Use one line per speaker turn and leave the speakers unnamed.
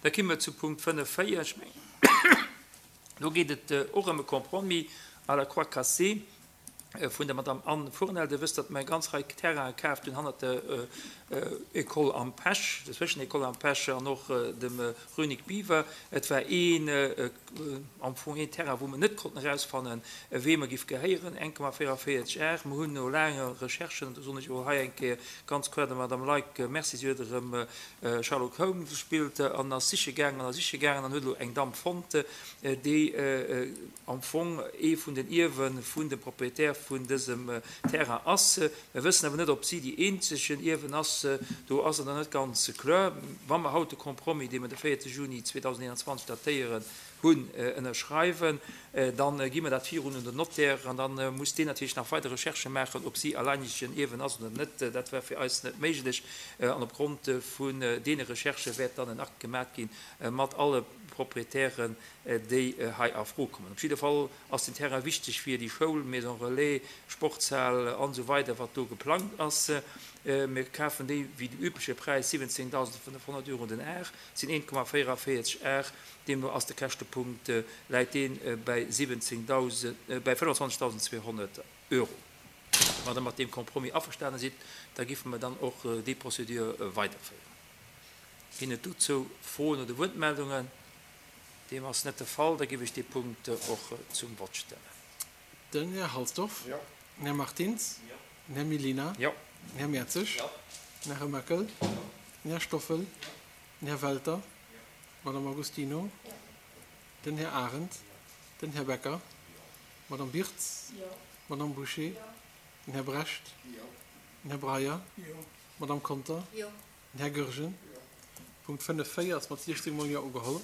Da ki mer zu Punkt 5, 4. Ech mengen, do geet et och ëm e Compromis à la croix cassée vun der Madame Anne Fournel. Dir wësst, datt mer eng ganz Rei Terrainen kaaft hunn hannert der École Am Pech, der Zwëschen-École Am Pech an och dem Rue Nic Biver. Et war een, am Fong een Terrain, wou mer net konnten erausfannen, weem e giff gehéieren, 1,44 Ar. Mer hunn no laange Recherchen, an do soen ech och hei eng Kéier ganz kloer der Madame Leick Merci, si huet erëm Sherlock Holmes gespillt an ass siche gaangen an ass siche gaangen an huet elo eng Damm fonnt, déi am Fong ee vun den Ierwe vun dem Propriétaire vun dësem Terrain ass. Mir wëssen awer net, ob si déi eenzegen Ierwen ass. Do ass et nach net ganz kloer. Wa mer haut de Compromis, dee mer de 4 Juni 2021 datéieren, hunn, ënnerschreiwen, da gi mer dat virun un den Notaire an da muss deen natierlech nach weider Recherchë maachen, ob si alleinegen Ierwen ass oder net. Dat war fir eis net méiglech an opgrond vun deene Recherchë wäert dann en Akt gemat gi mat alle Proprietären, déi hei a Fro kommen. Op jidde Fall ass den Terrain wichteg fir déi Schoul, Maison Relais, Sportshal an esou weider wat do geplangt ass. Mir kafen déi wéi dem übleche Präis, 17.500 Euro den Ar, sinn 1,44 Ar, deemno ass de Käschtepunkt, läit dee bäi 17.000, bäi 25.200 Euro. Wann Der mat deem Compromis averstane sidd, da giffe mer dann och déi Procédure weiderféieren. Ginn et dozou Froen oder Wuertmeldungen? Deem ass net de Fall. Da géif ech dee Punkt och zum Vott stellen.
Den Här Halsdorf.
Jo.
Den Här Martins.
Jo.
Den Här Mellina.
Jo.
Den Här Mertzig.
Jo.
Den Här Remakel.
Jo.
Den Här Stoffel.
Jo.
Den Här Welter.
Jo.
D'Madame Agostino.
Jo.
Den Här Arendt.
Jo.
Den Här Becker.
Jo.
D'Madame Birtz.
Jo.
D'Madame Bouché.
Jo.
Den Här Brecht.
Jo.
Den Här Breyer.
Jo.
D'Madame Conter.
Jo.
Den Här Goergen.
Jo.
Punkt 5, 4 ass mat 16 mol Jo ugeholl.